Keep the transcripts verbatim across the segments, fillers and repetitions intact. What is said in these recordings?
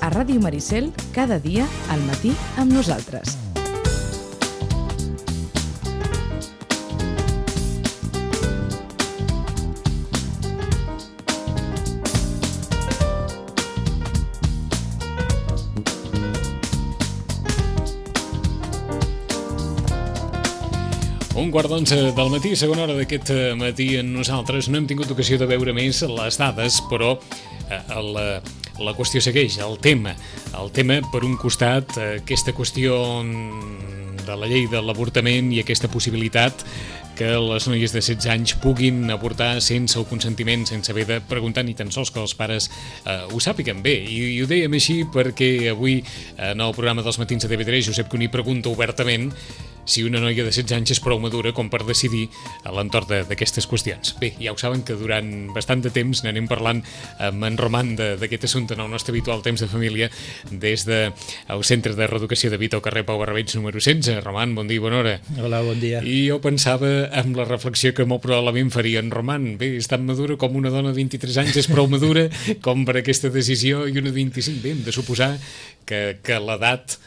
a Ràdio Maricel cada dia al matí amb nosaltres. Un quart d'onze del matí, segona hora d'aquest matí en nosaltres. No hem tingut ocasió de veure més les dades, però eh, la, la qüestió segueix, el tema. El tema, per un costat, aquesta qüestió de la llei de l'avortament i aquesta possibilitat que les noies de setze anys puguin avortar sense el consentiment, sense haver de preguntar ni tan sols que els pares eh, ho sàpiguen bé. I, I ho dèiem així perquè avui en el programa dels matins de T V tres Josep Cuní pregunta obertament si una noia de setze anys és prou madura com per decidir a l'entorn d'aquestes qüestions. Bé, ja ho saben que durant bastant de temps n'anem parlant amb en Roman d'aquest assumpte en el nostre habitual temps de família des del Centre de Reeducació de Vita al carrer Pau Barrabeig número setze. Roman, bon dia i bona hora. Hola, bon dia. I jo pensava amb la reflexió que molt probablement faria en Roman. Bé, és tan madura com una dona de vint-i-tres anys, és prou madura com per aquesta decisió, i una de vint-i-cinc. Bé, hem de suposar que, que l'edat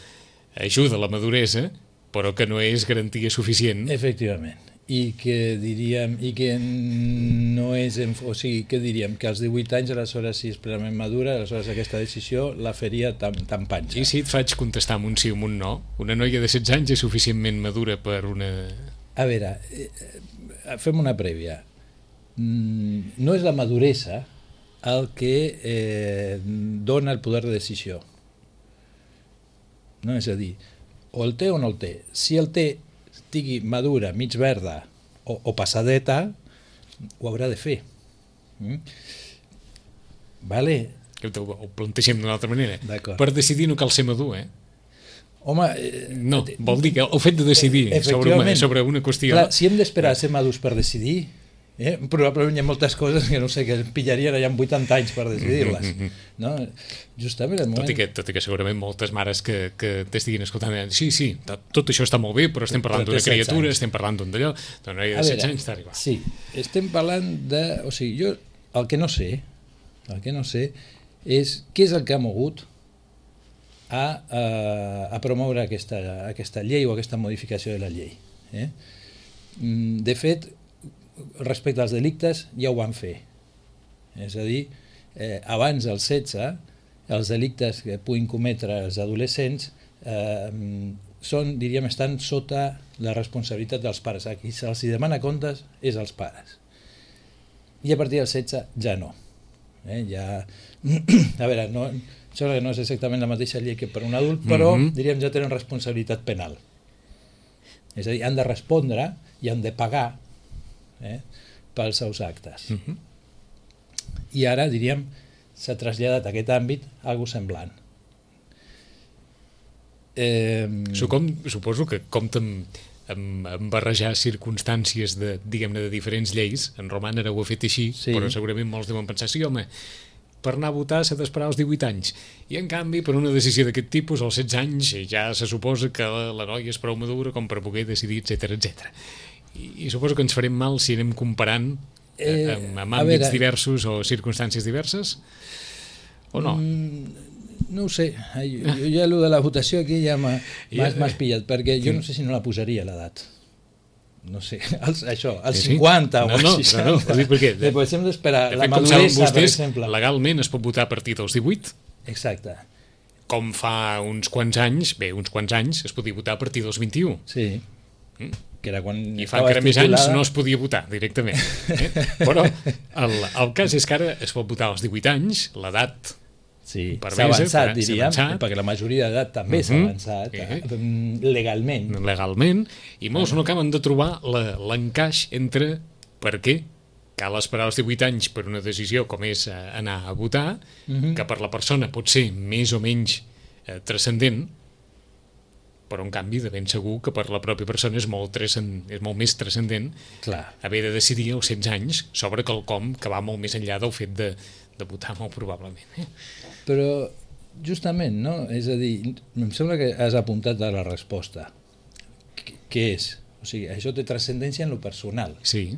ajuda a la maduresa, però que no és garantia suficient. Efectivament. I que diríem, i que no és, o sigui, que diríem que als divuit anys, aleshores, si és plenament madura, aleshores aquesta decisió la faria tan, tan panxa. I si et faig contestar amb un sí o amb un no? Una noia de setze anys és suficientment madura per una... A veure, fem una prèvia. No és la maduresa el que eh, dona el poder de decisió. No, és a dir, o el té o no el té. Si el té, estigui madura, mig verda o, o passadeta, ho haurà de fer. Mm? Vale? Ho plantegem d'una altra manera. Per decidir no cal ser madur, eh? Home... Eh, no, vol dir que el fet de decidir sobre una, sobre una qüestió... Clar, si hem d'esperar a ser madurs per decidir, eh, probablement hi ha moltes coses que no sé, que pillarien allà amb vuitanta anys per decidir-les. No? Justament el moment... Tot i que, tot i que segurament moltes mares que, que t'estiguin escoltant diran, sí, sí, tot això està molt bé, però estem parlant d'una criatura, estem parlant d'un d'allò, d'una noia de setze anys està arribant. Sí, estem parlant de... O sigui, jo el que no sé, el que no sé és què és el que ha mogut a, a, a promoure aquesta, aquesta llei o aquesta modificació de la llei. Eh? De fet, respecte als delictes ja ho van fer. És a dir, eh, abans dels setze, els delictes que puguin cometre els adolescents eh, són, diríem, estan sota la responsabilitat dels pares. A qui se'ls demana comptes és als pares. I a partir dels setze ja no. Eh, ja... A veure, no, sembla que no és exactament la mateixa llei que per un adult, però mm-hmm. diríem ja tenen responsabilitat penal. És a dir, han de respondre i han de pagar eh, pels seus actes. Mm-hmm. I ara, diríem, s'ha traslladat a aquest àmbit algo semblant. Eh... Com, suposo que compta amb, amb, amb barrejar circumstàncies de, diguem-ne, de diferents lleis. En Roman ara ho ha fet així, sí. Però segurament molts deuen pensar, sí, home, per anar a votar s'ha d'esperar als divuit anys. I en canvi, per una decisió d'aquest tipus, als setze anys, ja se suposa que la, la noia és prou madura com per poder decidir, etcètera, etcètera. I, I suposo que ens farem mal si anem comparant eh, amb, amb àmbits veure, diversos o circumstàncies diverses, o no? Mm, no ho sé. Jo, jo ja allò de la votació aquí ja m'has ja, pillat, perquè jo no sé si no la posaria l'edat. No sé, els, això, als sí, cinquanta no, o als no, seixanta. No, no, no, perquè, de, Després hem d'esperar de la fet, maduresa, vostès, per exemple. Legalment es pot votar a partir dels divuit. Exacte. Com fa uns quants anys, bé, uns quants anys, es podia votar a partir dels vint-i-u. Sí. Mm. Que era quan I fa encara més anys no es podia votar directament. Eh? Però el, el cas és que ara es pot votar als divuit anys, l'edat... Sí, s'ha avançat, diríem, perquè la majoria d'edat també s'ha avançat legalment. Legalment, i molts no acaben de trobar l'encaix entre per què cal esperar els divuit anys per una decisió com és anar a votar, que per la persona pot ser més o menys transcendent, però en canvi de ben segur que per la pròpia persona és molt, és molt més transcendent haver de decidir als setze anys sobre quelcom que va molt més enllà del fet de, de votar molt probablement. Eh? Però justament, no? És a dir, em sembla que has apuntat a la resposta. Què és? O sigui, això té transcendència en lo personal. Sí.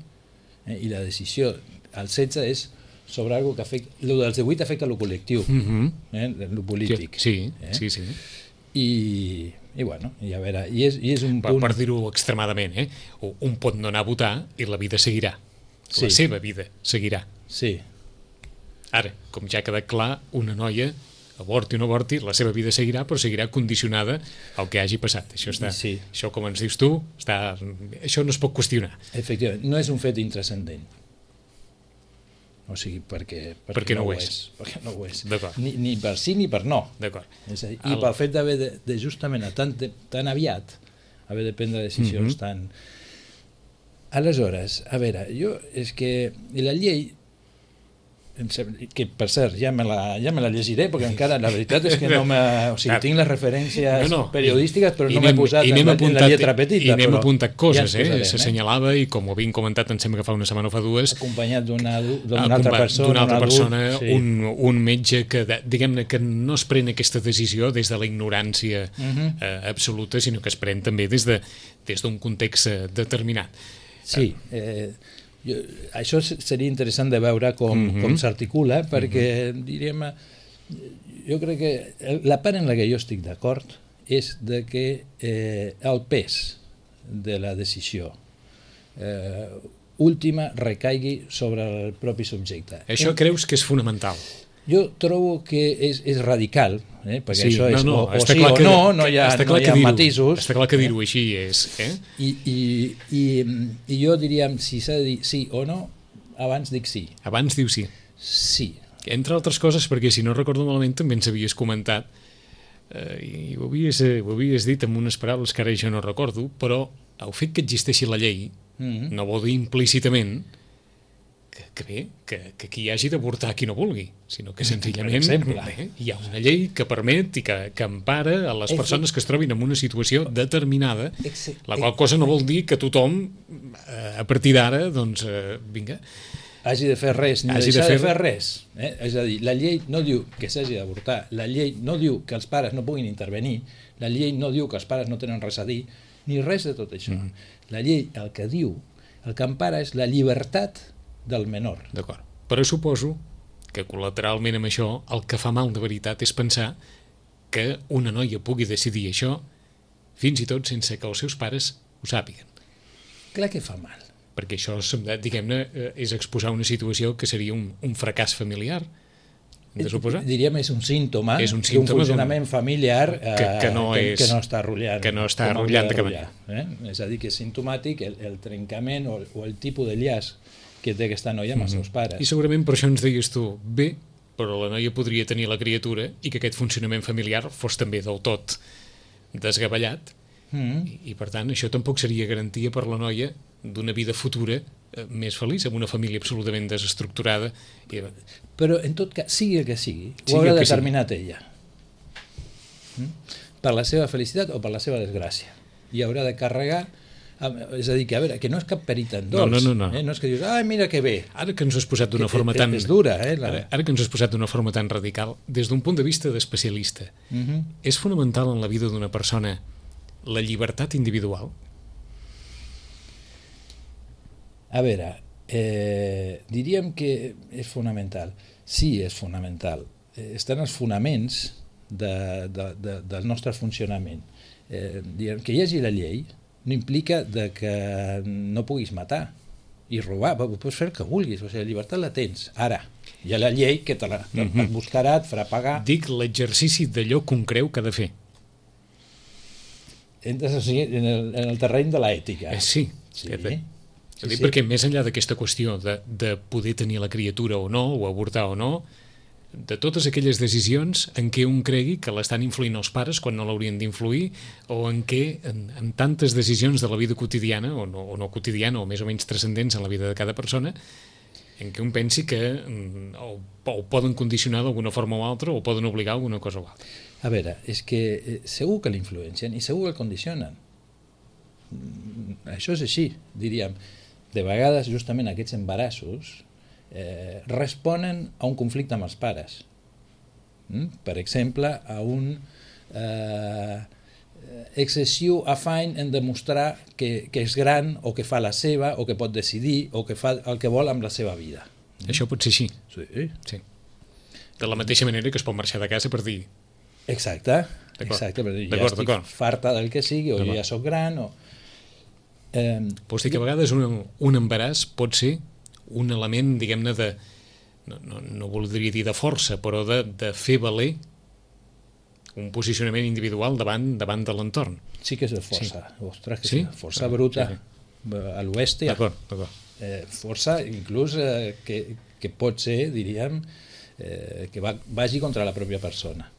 Eh? I la decisió als setze és sobre algo que afecta... El dels divuit afecta lo col·lectiu, Uh -huh. eh, lo polític. Sí, eh? sí, sí. I, i bueno, i a veure, i és, i és un Per, punt... per dir-ho extremadament, eh? Un pot no anar a votar i la vida seguirà. Sí. La seva vida seguirà. Sí, Ara, com ja ha quedat clar, una noia, avorti o no avorti, la seva vida seguirà, però seguirà condicionada al que hagi passat. Això, està, Sí. això com ens dius tu, està, això no es pot qüestionar. efectivament, no és un fet intrascendent. O sigui, perquè, perquè, Perquè no ho ho és. és. Perquè no ho és. D'acord. Ni, ni per sí ni per no. D'acord. És a dir, El- I pel fet d'haver de, de justament a tan, de, tan aviat haver de prendre decisions Mhm. tan... Aleshores, a veure, jo és que la llei, em sembla, que per cert ja me, la, ja me la llegiré perquè encara la veritat és que no me, o sigui, Clar. tinc les referències No, no. periodístiques però I no m'he n'hem- posat i en n'hem la, en la apuntat- lletra petita. I n'hem però apuntat ja coses, ens eh? posarem, S'assenyalava i com ho havíem comentat, em sembla que fa una setmana o fa dues, acompanyat d'una d'una acompa- altra persona, d'una altra un adult, persona, sí. un, un metge que, de- diguem-ne, que no es pren aquesta decisió des de la ignorància Mhm. eh, absoluta, sinó que es pren també des de des d'un context eh, determinat. Sí, eh, jo, això se- seria interessant de veure com, mm Mhm. -hmm. com s'articula, perquè, mm -hmm. diríem, eh, jo crec que el- la part en la que jo estic d'acord és de que eh, el pes de la decisió eh, última recaigui sobre el propi subjecte. Això creus que és fonamental? Jo trobo que és, és radical, eh? perquè Sí, això és no, no, o, o està sí clar o que- no, no hi ha, està no clar hi que ha dir-ho- matisos. Està clar que dir-ho així és, eh? I, i, i, I jo diríem, si s'ha de dir sí o no, abans dic sí. Abans diu sí. Sí. Entre altres coses, perquè si no recordo malament també ens havies comentat eh, i ho havies, eh, ho havies dit amb unes paraules que ara jo no recordo, però el fet que existeixi la llei Mm-hmm. no vol dir implícitament que, que bé, que, que qui hagi d'avortar qui no vulgui, sinó que senzillament exemple. bé, hi ha una llei que permet i que, que empara a les persones que es trobin en una situació determinada, Exe- la qual cosa no vol dir que tothom eh, a partir d'ara, doncs, eh, vinga, Hagi de fer res, ni Hagi deixar de de fer- fer, res. Eh? És a dir, la llei no diu que s'hagi d'avortar, la llei no diu que els pares no puguin intervenir, la llei no diu que els pares no tenen res a dir, ni res de tot això. Mm. La llei el que diu, el que empara és la llibertat del menor. d'acord. Però suposo que col·lateralment amb això el que fa mal de veritat és pensar que una noia pugui decidir això fins i tot sense que els seus pares ho sàpiguen. Clar que fa mal. Perquè això, diguem-ne, eh, és exposar una situació que seria un, un fracàs familiar, hem de suposar? Diríem és un símptoma, És un d'un símptoma funcionament familiar que- eh, que no és- que no està rotllant. que no està com hauria rotllant de cap rotllar, eh? És a dir, que és simptomàtic el, el trencament o, o el tipus de llaç que té aquesta noia amb els seus pares. I segurament per això ens deies tu, bé, però la noia podria tenir la criatura i que aquest funcionament familiar fos també del tot desgavellat, Mm. i, i per tant això tampoc seria garantia per la noia d'una vida futura eh, més feliç, amb una família absolutament desestructurada. I, Però en tot cas, sigui el que sigui, Sigui ho haurà el que determinat ella. Mm? Per la seva felicitat o per la seva desgràcia. I haurà de carregar, amb- és a dir, que a veure, que no és cap perita en No, dolç. no, no, no. Eh? No és que dius, ai, mira que bé. ara que ens has posat d'una Que- forma que- tan... és dura, eh, la- Ara, ara que ens has posat d'una forma tan radical, des d'un punt de vista d'especialista, Mm -hmm. és fonamental en la vida d'una persona la llibertat individual? A veure, eh, diríem que és fonamental. Sí, és fonamental. Eh, estan els fonaments de, de, de, del nostre funcionament. Eh, diguem, que hi hagi la llei no implica de que no puguis matar i robar, pots fer el que vulguis, o sigui, la llibertat la tens. Ara, hi ha la llei que te la te Mhm. et buscarà, et farà pagar. Dic l'exercici d'allò que un creu que ha de fer. Entres o sigui, en, el, en el terreny de l'ètica. Eh, sí. Sí. Eh, bé. Sí, És a dir, sí. perquè més enllà d'aquesta qüestió de, de poder tenir la criatura o no, o avortar o no, de totes aquelles decisions en què un cregui que l'estan influint els pares quan no l'haurien d'influir, o en què en, en tantes decisions de la vida quotidiana, o no, o no quotidiana, o més o menys transcendents en la vida de cada persona, en què un pensi que mm, o, o poden condicionar d'alguna forma o altra, o poden obligar a alguna cosa o altra. A veure, és que eh, segur que l'influencien i segur que el condicionen. Mm, Això és així, diríem. De vegades, justament aquests embarassos eh, responen a un conflicte amb els pares. Mm? Per exemple, a un eh, excessiu afany en demostrar que, que és gran o que fa la seva o que pot decidir o que fa el que vol amb la seva vida. Això pot ser així. Sí. Sí. De la mateixa manera que es pot marxar de casa per dir... Exacte. D'acord. Exacte, per dir, ja D'acord, estic d'acord. farta del que sigui, o jo D'acord. ja sóc gran, o... Eh, Vols dir que a vegades un, un embaràs pot ser un element, diguem-ne, de... No, no, no voldria dir de força, però de, de fer valer un posicionament individual davant davant de l'entorn. sí que és de força. Sí. Ostres, que Sí? sí? Força Ah, bruta. sí, A l'oest hi ha D'acord, d'acord. eh, força, inclús eh, que, que pot ser, diríem, eh, que va, vagi contra la pròpia persona.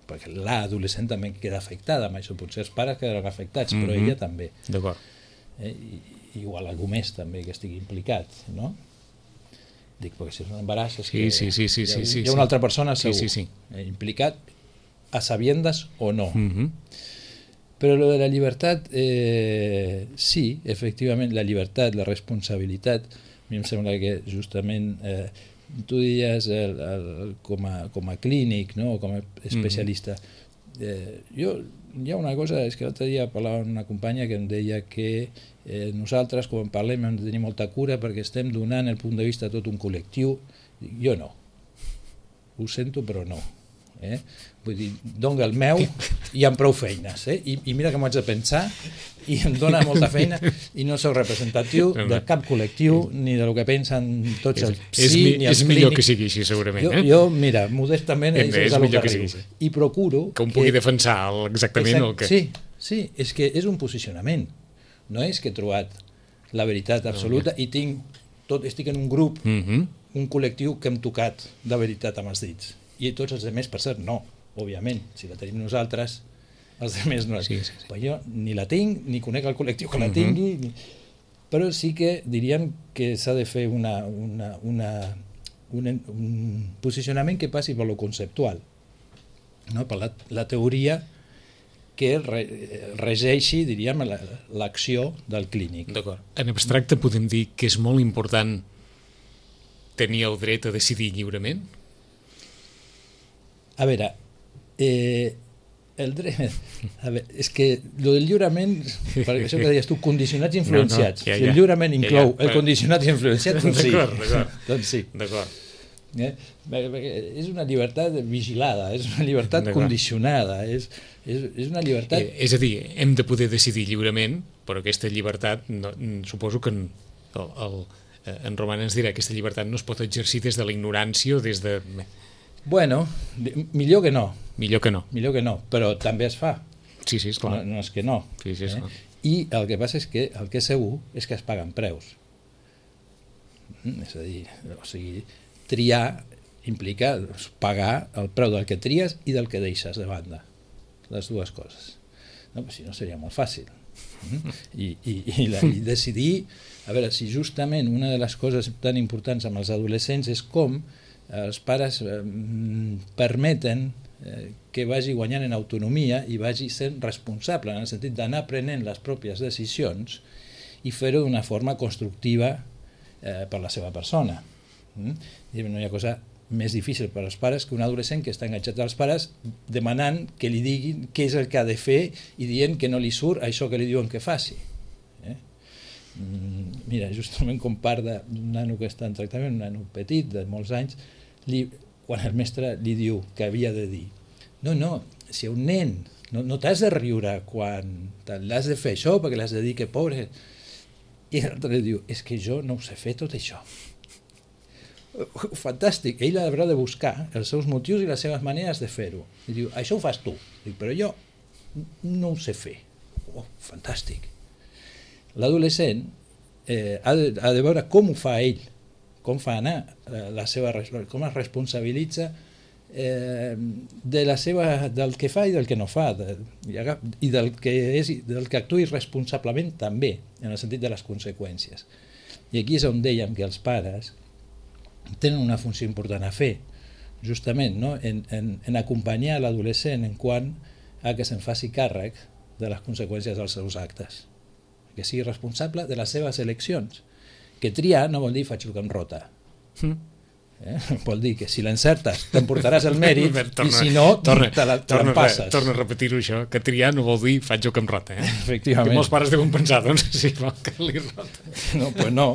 Perquè l'adolescent també queda afectada amb això. Potser els pares quedaran afectats, però Mhm. ella també. D'acord. Eh? I, igual algú més també que estigui implicat, no? Dic, perquè si és un embaràs és Sí, que sí, sí, sí, hi ha, sí, sí, hi ha sí. una altra persona Sí, segur, sí, sí. eh, implicat a sabiendas o no. Mhm. Però lo de la llibertat, eh, sí, efectivament, la llibertat, la responsabilitat, a mi em sembla que justament eh, tu diries el, el, com, a, com a clínic, no? O com a especialista. Eh, jo, hi ha una cosa, és que l'altre dia parlava amb una companya que em deia que eh, nosaltres, quan parlem, hem de tenir molta cura perquè estem donant el punt de vista a tot un col·lectiu. Jo no. Ho sento, però no. Eh? Vull dir, dono el meu i amb prou feines, eh? I, i mira que m'ho haig de pensar i em dona molta feina i no soc representatiu de cap col·lectiu ni de lo que pensen tots els És, és, sí, mi- ni els és millor clínics. que sigui així, segurament. Jo, eh? jo, mira, modestament És- això és és el millor que que sigui arribo. així. I procuro Que un pugui defensar el- exactament Exacte, el que... Sí, sí, és que és un posicionament. No és que he trobat la veritat absoluta i tinc tot, estic en un grup, Mhm. un col·lectiu que hem tocat de veritat amb els dits. I tots els altres, per cert, no, òbviament. Si la tenim nosaltres, els altres no. Sí, sí, sí. Però jo ni la tinc, ni conec el col·lectiu que la Mhm. tingui, ni... però sí que diríem que s'ha de fer una, una, una, un, un posicionament que passi per lo conceptual, no? Per la, la teoria que re, regeixi, diríem, la- l'acció del clínic. D'acord. En abstracte podem dir que és molt important tenir el dret a decidir lliurement? A veure, eh, el dret... A veure, és que lo del lliurament, per això que deies tu, condicionats i influenciats. No, no, ja, si el ja. lliurament Ja, inclou ja, el però- condicionat i influenciat, doncs sí. D'acord, d'acord. doncs sí. D'acord. Eh? Perquè És una llibertat vigilada, és una llibertat D'acord. condicionada, és, és, és una llibertat... Eh, és a dir, hem de poder decidir lliurement, però aquesta llibertat, no, mm, suposo que en, el, el, eh, en Roman ens dirà que aquesta llibertat no es pot exercir des de la ignorància o des de... Bueno, di- millor que no, Millor que no. millor que no, però també es fa. Sí, sí, esclar. No, no és que no. Sí, sí, esclar. I el que passa és que el que és segur és que es paguen preus. Mm, És a dir, o sigui, triar implica doncs, pagar el preu del que tries i del que deixes de banda. Les dues coses. No, però si no seria molt fàcil. Mm? I, i, i, la, I decidir, a veure, si justament una de les coses tan importants amb els adolescents és com els pares eh, permeten eh, que vagi guanyant en autonomia i vagi sent responsable en el sentit d'anar prenent les pròpies decisions i fer-ho d'una forma constructiva eh, per la seva persona. Mm? I no hi ha cosa més difícil per als pares que un adolescent que està enganxat als pares demanant que li diguin què és el que ha de fer i dient que no li surt això que li diuen que faci. Eh? Mm, mira, justament com part d'un nano que està en tractament, un nano petit de molts anys, li, quan el mestre li diu que havia de dir no, no, si un nen no, no t'has de riure quan l'has de fer això perquè l'has de dir que pobre, i l'altre li diu és que jo no ho sé fer tot això. Fantàstic, ell haurà de buscar els seus motius i les seves maneres de fer-ho. I diu, això ho fas tu. Dic, però jo no ho sé fer. Oh, fantàstic. L'adolescent eh, ha, de, ha de veure com ho fa ell, com fa anar eh, la seva, com es responsabilitza eh, de la seva, del que fa i del que no fa, de, i del que, és, del que actuï responsablement també, en el sentit de les conseqüències. I aquí és on dèiem que els pares tenen una funció important a fer, justament, no? en, en, en acompanyar l'adolescent en quant a que se'n faci càrrec de les conseqüències dels seus actes, que sigui responsable de les seves eleccions, que triar no vol dir faig el que em rota. Mm. Eh? Vol dir que si l'encertes t'emportaràs el mèrit torna, i si no torna, te la, te torna, passes. Torna a repetir-ho això, que triar no vol dir faig jo que em rota. Eh? Efectivament. Que molts pares deuen pensar, doncs, si vol que li rota. No, pues no.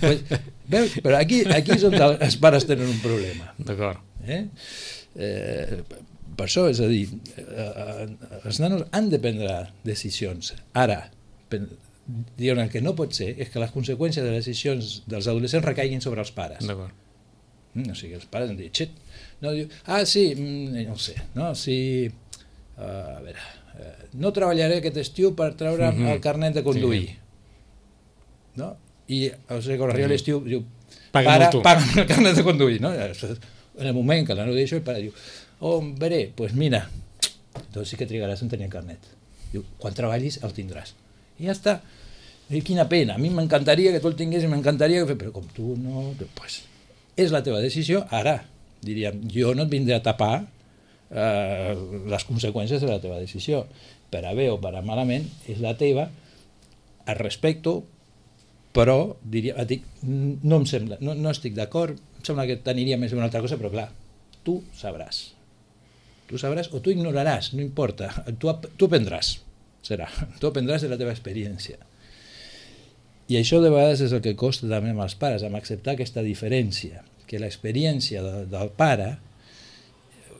Pues, veus, però aquí, aquí és on els pares tenen un problema. D'acord. Eh? Eh, per això, és a dir, eh, els nanos han de prendre decisions. Ara, diuen el que no pot ser és que les conseqüències de les decisions dels adolescents recaiguin sobre els pares. D'acord. O sigui, els pares em diuen, xet, no, diu, ah, sí, no ho sé, no, si, uh, a veure, uh, no treballaré aquest estiu per treure mm-hmm. el carnet de conduir, sí. No? I, o sigui, quan arriba l'estiu, diu, pare, paga'm el carnet de conduir, no? En el moment que la no deixo, el pare diu, oh, veré, doncs pues mira, doncs sí que trigaràs en tenir el carnet. Diu, quan treballis el tindràs. I ja està. I quina pena, a mi m'encantaria que tu el tingués i m'encantaria que... Però com tu no... Doncs... Pues, és la teva decisió, ara, diríem, jo no et vindré a tapar eh, les conseqüències de la teva decisió. Per a bé o per a malament, és la teva, el respecto, però, diria, dic, no em sembla, no, no estic d'acord, em sembla que t'aniria més una altra cosa, però clar, tu sabràs. Tu sabràs o tu ignoraràs, no importa, tu, tu aprendràs, serà, tu aprendràs de la teva experiència. I això de vegades és el que costa també amb els pares, amb acceptar aquesta diferència, que l'experiència de, del pare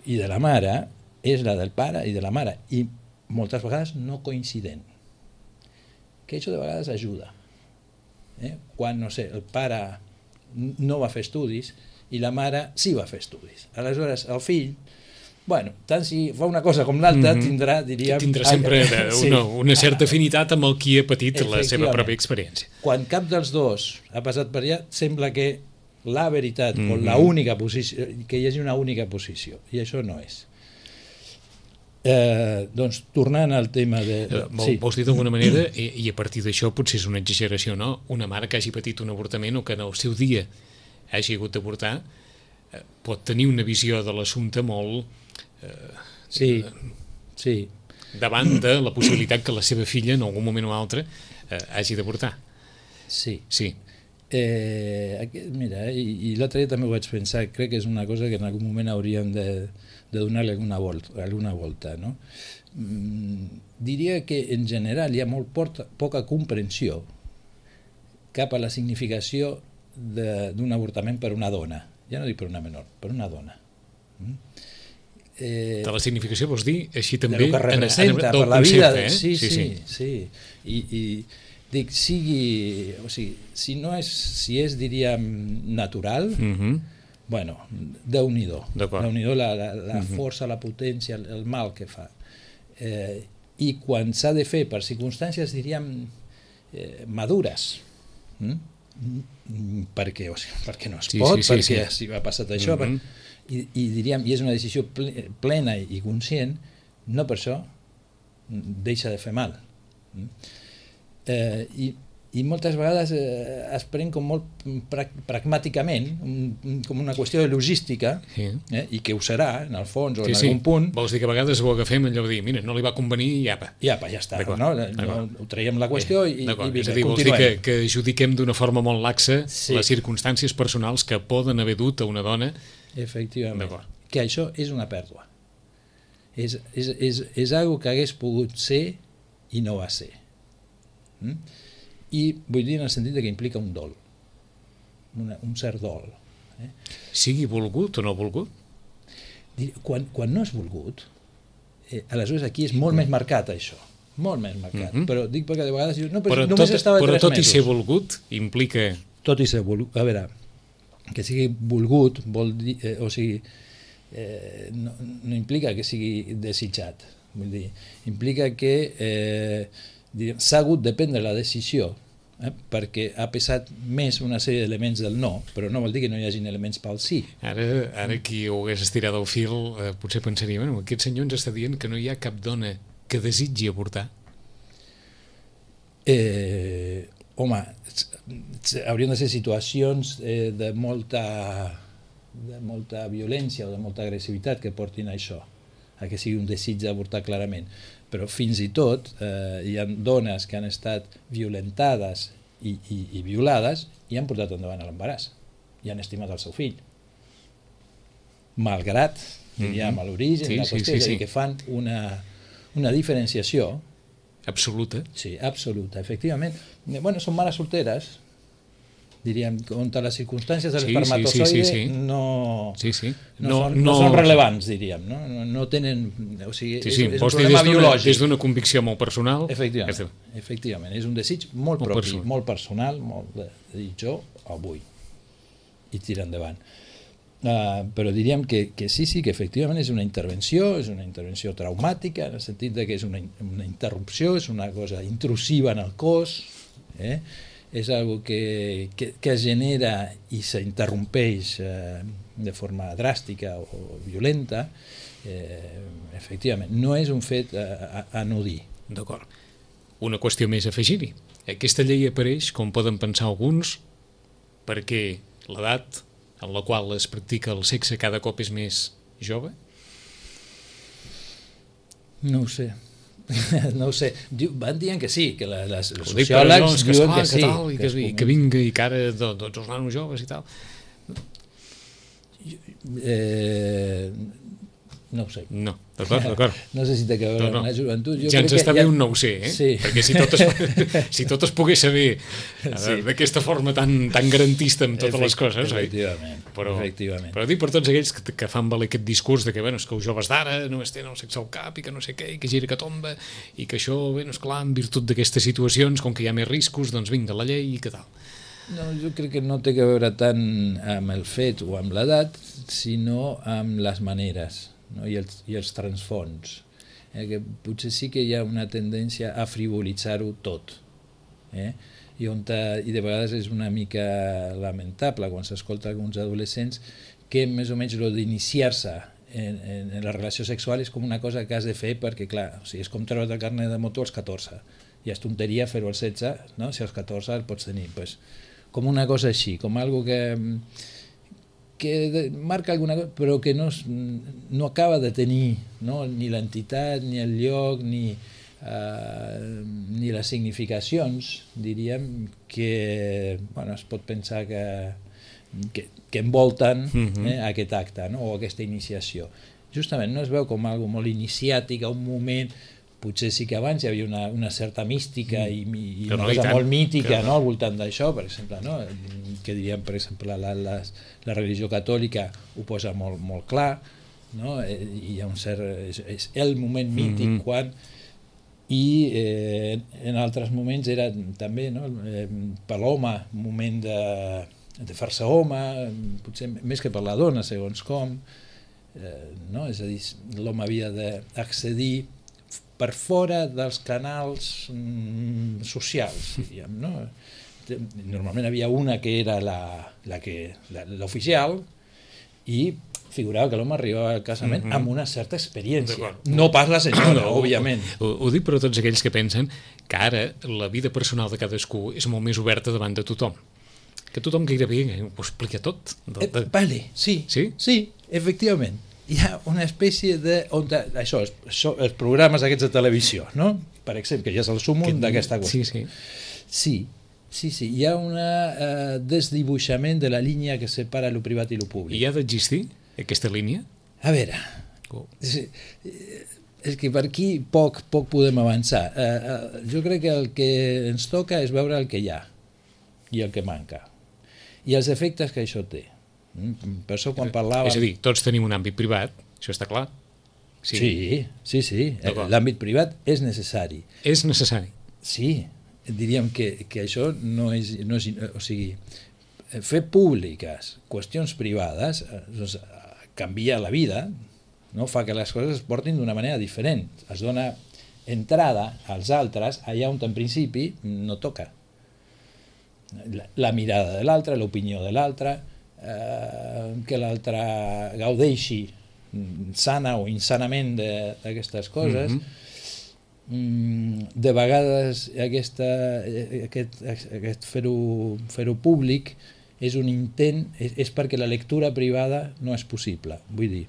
i de la mare és la del pare i de la mare, i moltes vegades no coincident. Que això de vegades ajuda. Eh? Quan, no sé, el pare no va fer estudis i la mare sí va fer estudis. Aleshores, el fill, bueno, tant si fa una cosa com l'altra, mm-hmm. tindrà, diríem... Tindrà sempre una, sí. una certa afinitat amb el qui ha patit la seva pròpia experiència. Quan cap dels dos ha passat per allà, sembla que la veritat mm-hmm. o la única posició, que hi hagi una única posició, i això no és. Eh, doncs, tornant al tema de... Eh, vol, sí. Vols dir d'alguna manera, i, i a partir d'això potser és una exageració, no? Una mare que hagi patit un avortament o que en el seu dia hagi hagut d'avortar eh, pot tenir una visió de l'assumpte molt... Eh, sí, sí. davant de la possibilitat que la seva filla en algun moment o altre eh, hagi d'avortar. Sí. Sí. Eh, mira, i, i l'altre dia també ho vaig pensar, crec que és una cosa que en algun moment hauríem de, de donar-li alguna volta, alguna volta, no? Mm, diria que en general hi ha molt porta, poca comprensió cap a la significació d'un avortament per una dona, ja no dic per una menor, per una dona. Mm? Eh, de la significació vols dir així també de lo que representa en, en, per la vida, eh? sí, sí, sí, sí. I, i dic, sigui, o sigui, si no és, si és, diríem, natural, mm-hmm. bueno, Déu-n'hi-do, Déu-n'hi-do la, la, la mm-hmm. força, la potència, el, el mal que fa. Eh, I quan s'ha de fer per circumstàncies, diríem, eh, madures, mm? perquè, o sigui, perquè no es sí, pot, sí, sí, perquè sí. si ha passat això, mm-hmm. per, i, i diríem, i és una decisió plena i conscient, no per això deixa de fer mal. Eh, i, i moltes vegades eh, es pren com molt pra pragmàticament, un, com una qüestió de logística, sí. eh, i que ho serà, en el fons, o sí, en algun sí. punt. Vols dir que a vegades ho agafem allò de dir, mira, no li va convenir i apa. I apa, ja està, no? no? Ho traiem la qüestió i, i vinga, és a dir, vols dir que, que adjudiquem d'una forma molt laxa sí. les circumstàncies personals que poden haver dut a una dona. Efectivament, que això és una pèrdua. És, és, és, és algo que hagués pogut ser i no va ser. Mm? I vull dir en el sentit que implica un dol, una, un cert dol. Eh? Sigui volgut o no volgut? Quan, quan no és volgut, eh, aleshores aquí és molt mm. més marcat això, molt més marcat, mm-hmm. però dic perquè de vegades no, però, però només tot, estava però tres tot mesos. I ser volgut implica... Tot i ser volgut, a veure, que sigui volgut vol dir, eh, o sigui, eh, no, no implica que sigui desitjat, vull dir, implica que eh, s'ha hagut de prendre la decisió, eh, perquè ha pesat més una sèrie d'elements del no, però no vol dir que no hi hagin elements pel sí. Ara, ara qui ho hagués estirat el fil eh, potser pensaria, bueno, aquest senyor ens està dient que no hi ha cap dona que desitgi avortar. Eh, home, haurien de ser situacions eh, de molta de molta violència o de molta agressivitat que portin a això, a que sigui un desig d'avortar clarament. Però fins i tot eh, hi ha dones que han estat violentades i, i, i violades i han portat endavant l'embaràs i han estimat el seu fill. malgrat, diríem, mm-hmm. a l'origen, sí, la qüestió, sí, sí, sí. que fan una, una diferenciació absoluta. Sí, absoluta, efectivament. Bueno, són mares solteres, diríem, on les circumstàncies de l'espermatozoide sí, sí, sí, sí. no, sí, sí. No, no, són, no, no són rellevants, diríem, no, no, no tenen... O sigui, sí, sí. és, és un problema biològic. Des d'una convicció molt personal. Efectivament, és, efectivament. és un desig molt, molt propi, personal. molt personal, molt de dir jo avui i tirar endavant. Uh, però diríem que, que sí, sí, que efectivament és una intervenció, és una intervenció traumàtica, en el sentit de que és una, una interrupció, és una cosa intrusiva en el cos, eh? és algo que, que, que es genera i s'interrompeix eh, de forma dràstica o violenta, eh, efectivament, no és un fet a, a no dir. D'acord. Una qüestió més a afegir-hi. Aquesta llei apareix, com poden pensar alguns, perquè l'edat en la qual es practica el sexe cada cop és més jove? No ho sé. No ho sé. Van dient que sí, que les, les sociòlegs que diuen que, que sí. Tal, que, que, que vinga i que ara tots els nanos joves i tal. Eh, no ho sé. No, d'acord, d'acord. No sé si té que veure no, no. amb la joventut. Jo ja ens està bé ja... un no ho sé, eh? Sí. Perquè si tot, es, si tot es pogués saber sí. d'aquesta forma tan, tan garantista amb totes Efect, les coses, efectivament, oi? Però, efectivament. Però dic per tots aquells que, que fan valer aquest discurs de que, bueno, és que els joves d'ara només tenen el sexe al cap i que no sé què, i que gira que tomba, i que això, bueno, esclar, en virtut d'aquestes situacions, com que hi ha més riscos, doncs vinga la llei i què tal. No, jo crec que no té que veure tant amb el fet o amb l'edat, sinó amb les maneres, no? I, els, i els transfons, eh? que potser sí que hi ha una tendència a frivolitzar-ho tot, eh? I, on ta, i de vegades és una mica lamentable quan s'escolta alguns adolescents que més o menys lo d'iniciar-se en, en, en la relació sexual és com una cosa que has de fer perquè, clar, o sigui, és com treure el carnet de moto als catorze, i és tonteria fer-ho als setze, no? Si als catorze el pots tenir, pues, com una cosa així, com algo que que marca alguna cosa, però que no, no acaba de tenir, no? Ni l'entitat, ni el lloc, ni, uh, ni les significacions, diríem, que bueno, es pot pensar que, que, que envolten uh-huh. eh, aquest acte, no? O aquesta iniciació. Justament no es veu com algo molt iniciàtic, a un moment... Potser sí que abans hi havia una, una certa mística i, i una no, cosa molt mítica no, al voltant d'això, per exemple, no? Que diríem, per exemple, la, la, la religió catòlica ho posa molt, molt clar, no? I hi ha un cert... És, és el moment mític mm-hmm. quan... I eh, en altres moments era també, no? Eh, per l'home, un moment de, de fer-se home, potser més que per la dona, segons com, eh, no? És a dir, l'home havia d'accedir per fora dels canals mm, socials, diríem, no? Normalment havia una que era la, la que, la, l'oficial i figurava que l'home arribava al casament mm-hmm. amb una certa experiència. No pas la senyora, no, òbviament. Ho, ho dic per a tots aquells que pensen que ara la vida personal de cadascú és molt més oberta davant de tothom. Que tothom gairebé ho explica tot. De, de... Eh, vale, sí, sí, sí, efectivament. Hi ha una espècie de... On, això, això, els programes aquests de televisió, no? Per exemple, que ja és el súmum d'aquesta qüestió. Sí, sí. Sí, sí, sí. Hi ha un uh, desdibuixament de la línia que separa lo privat i lo públic. I ha d'existir aquesta línia? A veure, oh. és, és que per aquí poc, poc podem avançar. Uh, uh, jo crec que el que ens toca és veure el que hi ha i el que manca i els efectes que això té. Per això quan parlàvem... És a dir, tots tenim un àmbit privat, això està clar. Sí, sí, sí, sí. L'àmbit privat és necessari. És necessari. Sí, diríem que, que això no és, no és... O sigui, fer públiques qüestions privades doncs, canvia la vida, no? Fa que les coses es portin d'una manera diferent. Es dona entrada als altres allà on en principi no toca. La, la mirada de l'altre, l'opinió de l'altre... Eh, que l'altre gaudeixi sana o insanament d'aquestes coses. Mm-hmm. De vegades aquesta, aquest, aquest fer-ho fer-ho públic és un intent, és, és perquè la lectura privada no és possible. Vull dir,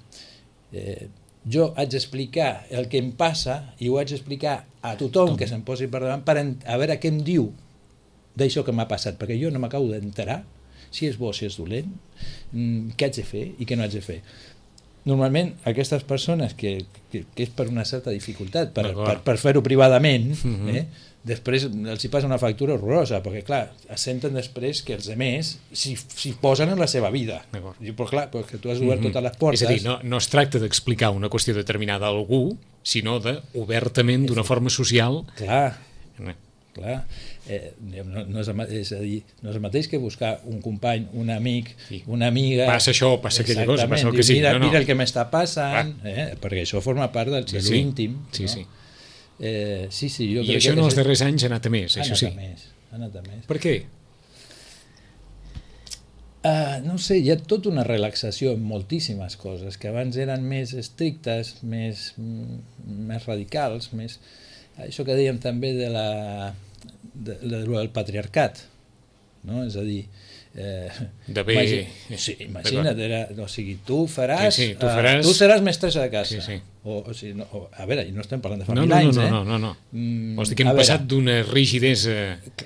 eh, jo haig d'explicar el que em passa i ho haig d'explicar a tothom que se'm posi per davant per a veure què em diu d'això que m'ha passat, perquè jo no m'acabo d'enterar si és bo, si és dolent, què haig de fer i què no haig de fer. normalment aquestes persones que, que, que és per una certa dificultat per, per, per fer-ho privadament, uh-huh. eh, després els hi passa una factura horrorosa, perquè clar, senten després que els altres s'hi, s'hi posen en la seva vida. I, però clar, perquè tu has obert uh-huh. totes les portes. És a dir, no, no es tracta d'explicar una qüestió determinada a algú, sinó de, obertament, d'una forma social... Clar, eh. clar. Eh, no, no, és, és a dir, no és el mateix que buscar un company, un amic, sí. una amiga... Passa això, passa aquella cosa, passa el que sigui. Mira, no, no. mira el que m'està passant, eh, perquè això forma part del, sí, de l'íntim. Sí, no? sí. Eh, sí, sí, jo I crec això que en els darrers anys ha anat a més, ha això sí. Ha anat a més, ha anat a més. Per què? Uh, no sé, hi ha tota una relaxació en moltíssimes coses, que abans eren més estrictes, més, més radicals, més... Això que dèiem també de la... De, de, del patriarcat, no? És a dir, eh, de bé... Imagina, sí, imagina't, era, o sigui, tu faràs, sí, sí, tu, faràs... Uh, tu seràs mestressa de casa. Sí, sí. O, o sigui, no, o, a veure, i no estem parlant de fa no, mil no, anys, no, eh? No, no, no, no. Mm, Vols dir que hem passat d'una rigidesa...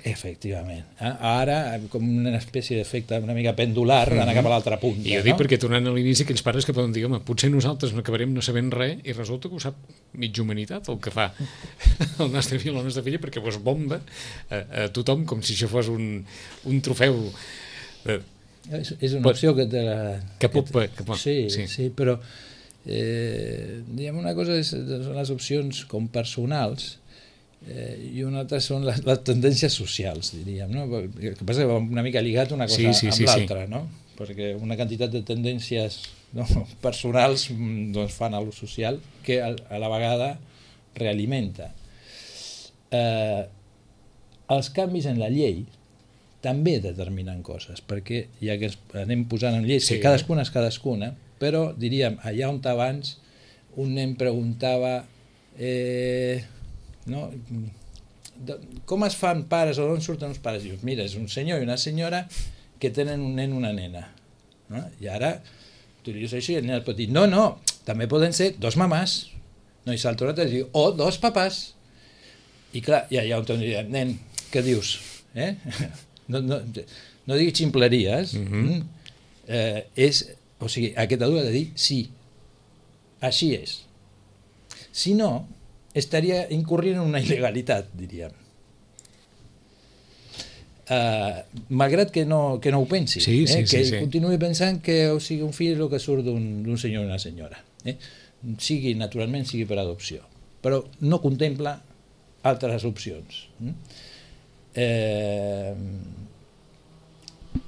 Efectivament. Eh? Ara, com una espècie d'efecte una mica pendular, mm-hmm. anar cap a l'altra punta. I jo dic no? perquè, tornant a l'inici, aquells pares que poden dir, home, potser nosaltres no acabarem no sabent res i resulta que ho sap mitja humanitat el que fa el nostre fill o la nostra filla, perquè vos bomba a, a tothom com si això fos un, un trofeu... De... És, és una opció que te la... Que pot... Que, que pot sí, sí, sí, però eh, diguem, una cosa és, són les opcions com personals eh, i una altra són les, les tendències socials, diríem, no? El que passa que va una mica lligat una cosa sí, sí, amb sí, l'altra, sí. no? Perquè una quantitat de tendències no, personals doncs, fan a lo social que a, a la vegada realimenta. Eh, els canvis en la llei també determinen coses, perquè ja que anem posant en lleis, sí, que cadascuna és cadascuna, però diríem, allà on abans un nen preguntava eh, no, com es fan pares o d'on surten els pares? Dius, mira, és un senyor i una senyora que tenen un nen i una nena. No? I ara tu li dius això i el nen pot dir, no, no, també poden ser dos mamàs. No, i salta una altra i diu, o dos papàs. I clar, ja, ja on diríem, nen, què dius? Eh? No, no, no diguis ximpleries. Mm-hmm. eh, és, o sigui, aquest adult ha de dir sí, així és. Si no, estaria incorrent en una il·legalitat, diríem. Uh, malgrat que no, que no ho pensi, sí, sí, eh? sí, que sí. continuï pensant que o sigui, un fill és el que surt d'un senyor i una senyora, eh? sigui naturalment sigui per adopció, però no contempla altres opcions. Eh,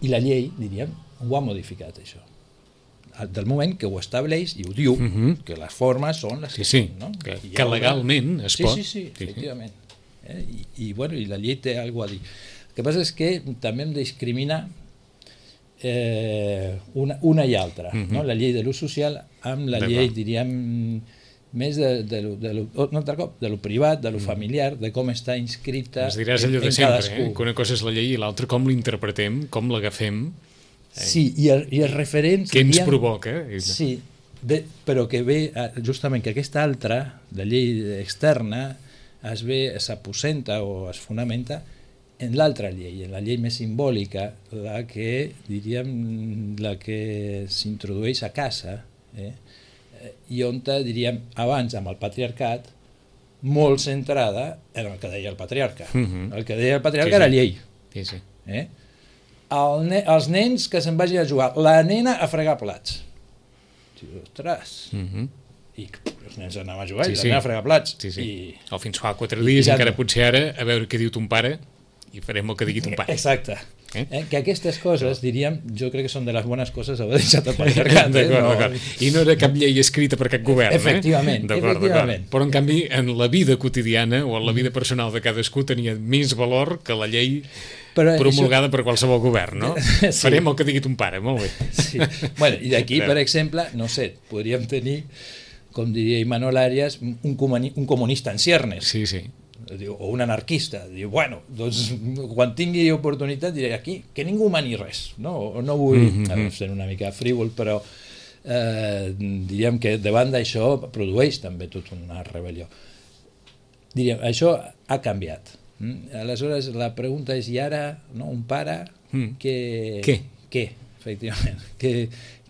I la llei, diríem, ho ha modificat això. Del moment que ho estableix i ho diu, uh-huh. que les formes són les sí, que sí. són. No? Que, que legalment es sí, pot. Sí, sí, sí, efectivament. Eh? I, i, bueno, i la llei té alguna cosa a dir. El que passa és que també hem de discriminar eh, una, una i altra. Uh-huh. No? La llei de l'ús social amb la llei, diríem, més de, de, lo, de, lo, un altre cop, de lo privat, de lo familiar, de com està inscrita ens diràs allò de sempre, eh? Que una cosa és la llei i l'altra com l'interpretem, com l'agafem. Eh? Sí, i, el, i els referents... Què ens provoca? Sí, de, però que ve justament que aquesta altra, la llei externa, es ve, s'aposenta o es fonamenta en l'altra llei, en la llei més simbòlica, la que, diríem, la que s'introdueix a casa, eh? I on, diríem, abans amb el patriarcat, molt centrada en el que deia el patriarca. Uh-huh. El que deia el patriarca sí, sí. era llei. Sí, sí. Eh? El ne els nens que se'n vagin a jugar, la nena a fregar plats. Sí, ostres... Uh-huh. I els nens anaven a jugar sí, i la nena a fregar plats. Sí, sí. I... O fins fa quatre dies, i encara potser ara, a veure què diu ton pare, i farem el que digui ton pare. Exacte. Eh? Eh? Que aquestes coses, diríem, jo crec que són de les bones coses haver deixat el patriarcat. Eh? D'acord, no... d'acord. I no era cap llei escrita per cap govern, efectivament, eh? D'acord, efectivament. d'acord. Però, en canvi, en la vida quotidiana o en la vida personal de cadascú tenia més valor que la llei però promulgada això... per qualsevol govern, no? Sí. Farem el que digui ton pare, molt bé. Sí. Bueno, i d'aquí, per exemple, no sé, podríem tenir, com diria Imanol Arias, un, comuni un comunista en ciernes. Sí, sí. O un anarquista. Diu, bueno, doncs quan tingui oportunitat diré aquí que ningú mani res. No, o no vull mm-hmm. a veure, ser una mica frívol, però eh, diríem que davant d'això produeix també tota una rebel·lió. Diríem, això ha canviat. Mm? Aleshores, la pregunta és, i ara, no, un pare, mm. que... Què? Què, efectivament. Que,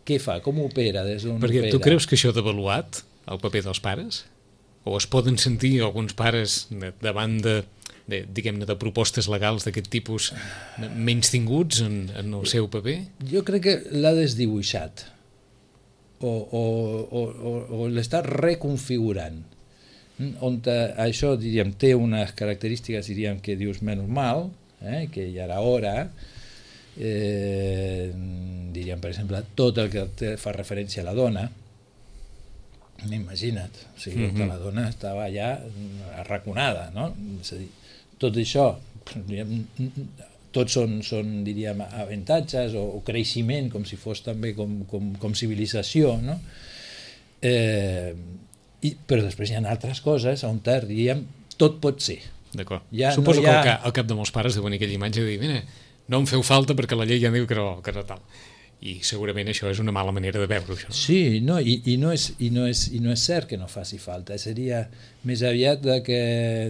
què fa? Com opera? Des d'on Perquè opera? tu creus que això ha devaluat el paper dels pares? O es poden sentir alguns pares davant de, de diguem-ne, de propostes legals d'aquest tipus menys tinguts en, en el seu paper? Jo crec que l'ha desdibuixat o, o, o, o, o l'està reconfigurant, on això, diríem, té unes característiques, diríem, que dius menys mal, eh, que ja era hora, eh, diríem, per exemple, tot el que fa referència a la dona. Imagina't, o sigui, mm-hmm. la dona estava ja arraconada, no? És a dir, tot això, diríem, tots són, són, diríem, avantatges o, o creixement, com si fos també com, com, com civilització, no? Eh, i, però després hi ha altres coses on, diríem, tot pot ser. D'acord. Ja Suposo no que ha... al cap, al cap de molts pares deuen aquella imatge de dir, mira, no em feu falta perquè la llei ja diu que no, que no tal. I segurament això és una mala manera de veure això. Sí, no, i, i, no és, i, no és, i no és cert que no faci falta, seria més aviat de que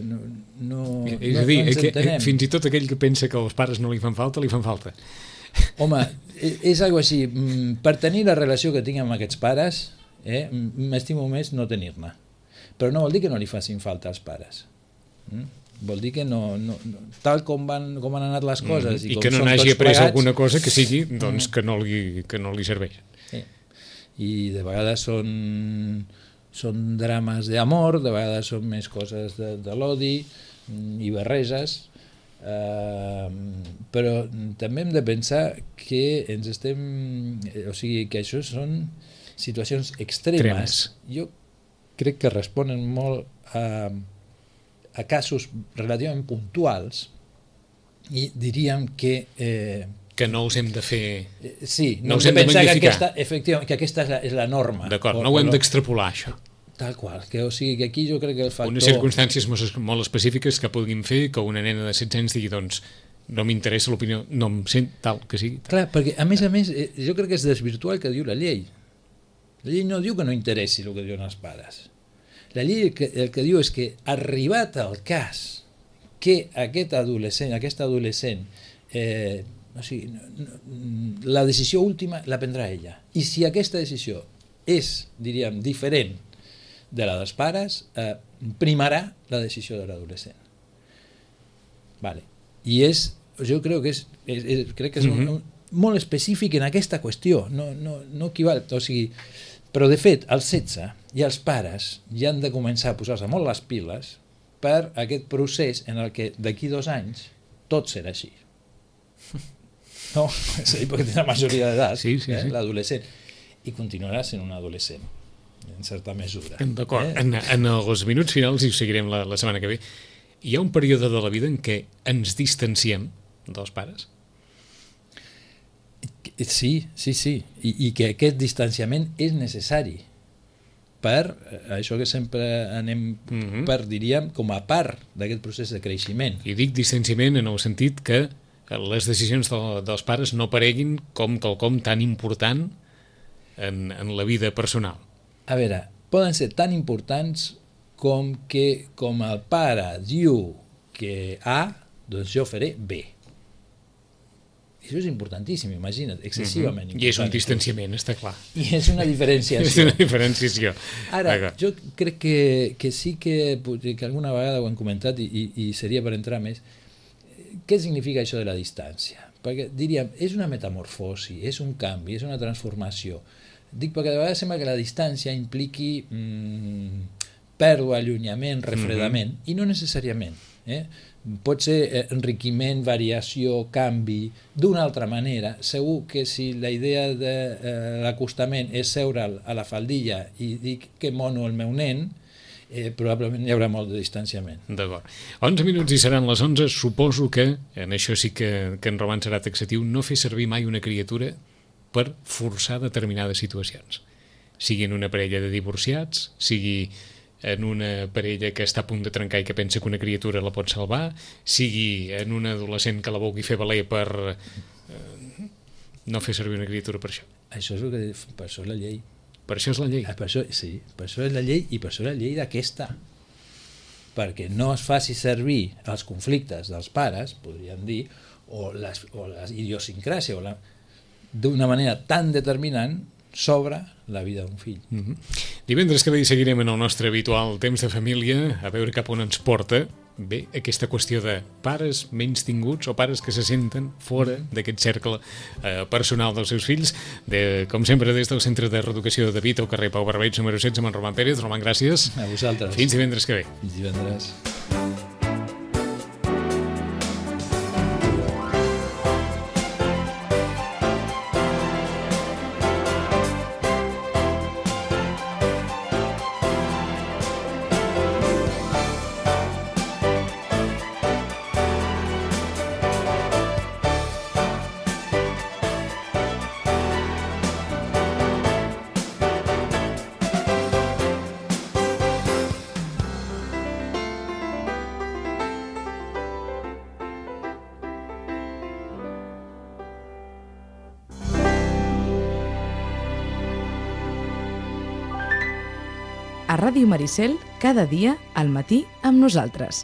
no, no, és no, a dir, no ens que, entenem. Fins i tot aquell que pensa que els pares no li fan falta, li fan falta. Home, és algo així, per tenir la relació que tinc amb aquests pares, eh, m'estimo més no tenir-ne, però no vol dir que no li facin falta als pares. Mm? Vol dir que no, no, no tal com, van, com han anat les coses mm, i, i com que no són n'hagi tots après plegats, alguna cosa que sigui doncs, que, no li, que no li serveix. eh, i de vegades són, són drames d'amor, de vegades són més coses de, de l'odi i barreges, eh, però també hem de pensar que ens estem, o sigui, que això són situacions extremes. Extremes. Jo crec que responen molt a a casos relativament puntuals i diríem que... Eh, que no us hem de fer... Eh, sí, no, no us hem hem de de pensar que magnificar. aquesta, efectivament, que aquesta és la, és la norma. D'acord, no ho hem d'extrapolar, això. Tal qual, que, o sigui, que aquí jo crec que el factor... Unes circumstàncies molt, molt específiques que puguin fer que una nena de setze anys digui, doncs, no m'interessa l'opinió, no em sent tal que sigui. Tal. Clar, perquè a més a més, jo crec que és desvirtuar el que diu la llei. La llei no diu que no interessi el que diuen els pares. La llei el que, el que diu és que, arribat al cas que aquest adolescent, aquest adolescent, eh, o sigui, no, no, la decisió última la prendrà ella. I si aquesta decisió és, diríem, diferent de la dels pares, eh, primarà la decisió de l'adolescent. Vale. I és, jo crec que és, és, és, crec que és mm-hmm. un, un, molt específic en aquesta qüestió, no, no, no equival, o sigui, però de fet, als setze i els pares ja han de començar a posar-se molt les piles per aquest procés en el que d'aquí dos anys tot serà així. No? És a dir, perquè té la majoria d'edat, sí, sí, eh, sí. l'adolescent, i continuarà sent un adolescent, en certa mesura. D'acord, eh? en, en els minuts finals, i ho seguirem la, la setmana que ve, hi ha un període de la vida en què ens distanciem dels pares? Sí, sí, sí, I, i que aquest distanciament és necessari per això que sempre anem mm-hmm. per, diríem, com a part d'aquest procés de creixement. I dic distanciament en el sentit que les decisions de, dels pares no apareguin com quelcom tan important en, en la vida personal. A veure, poden ser tan importants com que com el pare diu que A, doncs jo faré B. Això és importantíssim, imagina't, excessivament mm-hmm. I és un distanciament, està clar. I és una diferenciació. És una diferenciació. Ara, jo crec que, que sí que, que alguna vegada ho hem comentat i, i, i seria per entrar més, què significa això de la distància? Perquè diríem, és una metamorfosi, és un canvi, és una transformació. Dic perquè de vegades sembla que la distància impliqui mmm, pèrdua, allunyament, refredament, mm-hmm. i no necessàriament. Eh? Pot ser enriquiment, variació, canvi, d'una altra manera. Segur que si la idea de eh, l'acostament és seure a la faldilla i dir que mono el meu nen, eh, probablement hi haurà molt de distanciament. D'acord. onze minuts i seran les onze. Suposo que, en això sí que, que en Roman serà taxatiu, no fer servir mai una criatura per forçar determinades situacions. Sigui en una parella de divorciats, sigui en una parella que està a punt de trencar i que pensa que una criatura la pot salvar, sigui en un adolescent que la vulgui fer valer per eh, no fer servir una criatura per això. Això és el que, per això és la llei. Per això és la llei. Per això, sí, per això és la llei i per això és la llei d'aquesta. Perquè no es faci servir els conflictes dels pares, podríem dir, o la, o la idiosincràsia, o la, d'una manera tan determinant sobre la vida d'un fill. Mm-hmm. Divendres que ve hi seguirem en el nostre habitual temps de família, a veure cap on ens porta bé aquesta qüestió de pares menys tinguts o pares que se senten fora d'aquest cercle eh, personal dels seus fills. De, com sempre, des del Centre de Reeducació de Vita, al carrer Pau Barbeig, número setze, amb en Roman Pérez. Roman, gràcies. A vosaltres. Fins divendres que ve. Fins divendres. A Ràdio Maricel, cada dia al matí amb nosaltres.